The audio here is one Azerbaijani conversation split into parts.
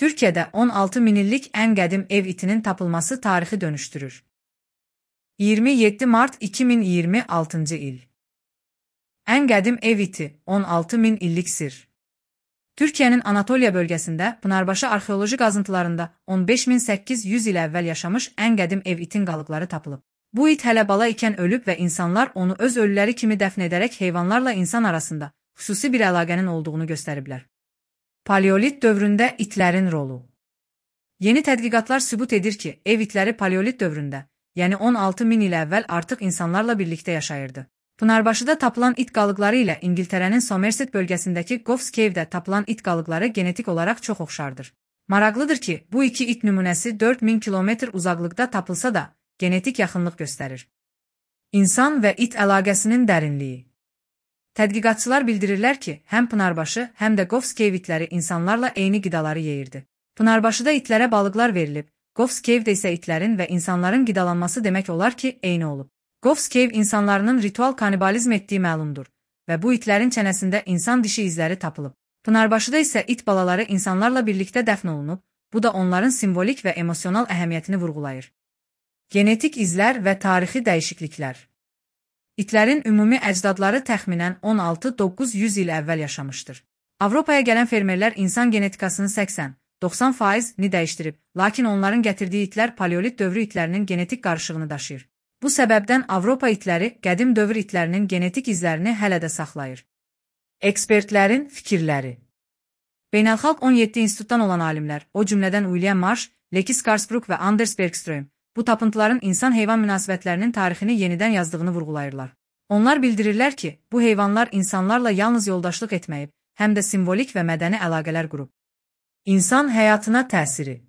Türkiye'de 16 min illik en qədim ev itinin tapılması tarixi dönüştürür. 27 Mart 2026 il. En qədim ev iti 16 min illik sir. Türkiye'nin Anatoliya bölgesinde Pınarbaşı arxeoloji qazıntılarında 15.800 il əvvəl yaşamış en qədim ev itin qalıqları tapılıb. Bu it hələ bala ikən ölüb və insanlar onu öz ölüləri kimi dəfn edərək heyvanlarla insan arasında xüsusi bir əlaqənin olduğunu göstəriblər. Paleolit dövründə itlərin rolu. Yeni tədqiqatlar sübut edir ki, ev itləri paleolit dövründə, yəni 16 min il əvvəl artıq insanlarla birlikdə yaşayırdı. Pınarbaşıda tapılan it qalıqları ilə İngiltərənin Somerset bölgəsindəki Goffs Cave'də tapılan it qalıqları genetik olaraq çox oxşardır. Maraqlıdır ki, bu iki it nümunəsi 4000 kilometr uzaqlıqda tapılsa da, genetik yaxınlıq göstərir. İnsan və it əlaqəsinin dərinliyi. Tədqiqatçılar bildirirlər ki, həm Pınarbaşı, həm də Goffs Cave itləri insanlarla eyni qidaları yeyirdi. Pınarbaşıda itlərə balıqlar verilib, Goffs Cave'də isə itlərin və insanların qidalanması demək olar ki, eyni olub. Goffs Cave insanlarının ritual kanibalizm etdiyi məlumdur və bu itlərin çənəsində insan dişi izləri tapılıb. Pınarbaşıda isə it balaları insanlarla birlikdə dəfn olunub, bu da onların simvolik və emosional əhəmiyyətini vurğulayır. Genetik izlər və tarixi dəyişikliklər. İtlərin ümumi əcdadları təxminən 16-900 il əvvəl yaşamışdır. Avropaya gələn fermerlər insan genetikasını 80-90%ni dəyişdirib, lakin onların gətirdiyi itlər paleolit dövrü itlərinin genetik qarışığını daşıyır. Bu səbəbdən Avropa itləri qədim dövr itlərinin genetik izlərini hələ də saxlayır. Ekspertlərin fikirləri. Beynəlxalq 17 institutdan olan alimlər, o cümlədən William Marsh, Leki Skarsbrook və Anders Bergström, bu tapıntıların insan-heyvan münasibətlərinin tarixini yenidən yazdığını vurğulayırlar. Onlar bildirirlər ki, bu heyvanlar insanlarla yalnız yoldaşlıq etməyib, həm də simvolik və mədəni əlaqələr qurub. İnsan həyatına təsiri.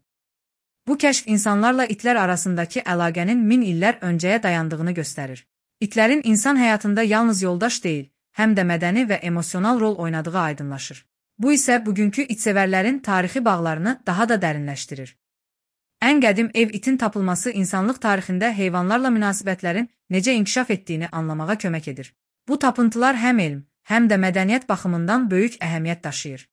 Bu kəşf insanlarla itlər arasındakı əlaqənin min illər öncəyə dayandığını göstərir. İtlərin insan həyatında yalnız yoldaş deyil, həm də mədəni və emosional rol oynadığı aydınlaşır. Bu isə bugünkü itsevərlərin tarixi bağlarını daha da dərinləşdirir. Ən qədim ev itin tapılması insanlıq tarixində heyvanlarla münasibətlərin necə inkişaf etdiyini anlamağa kömək edir. Bu tapıntılar həm elm, həm də mədəniyyət baxımından böyük əhəmiyyət daşıyır.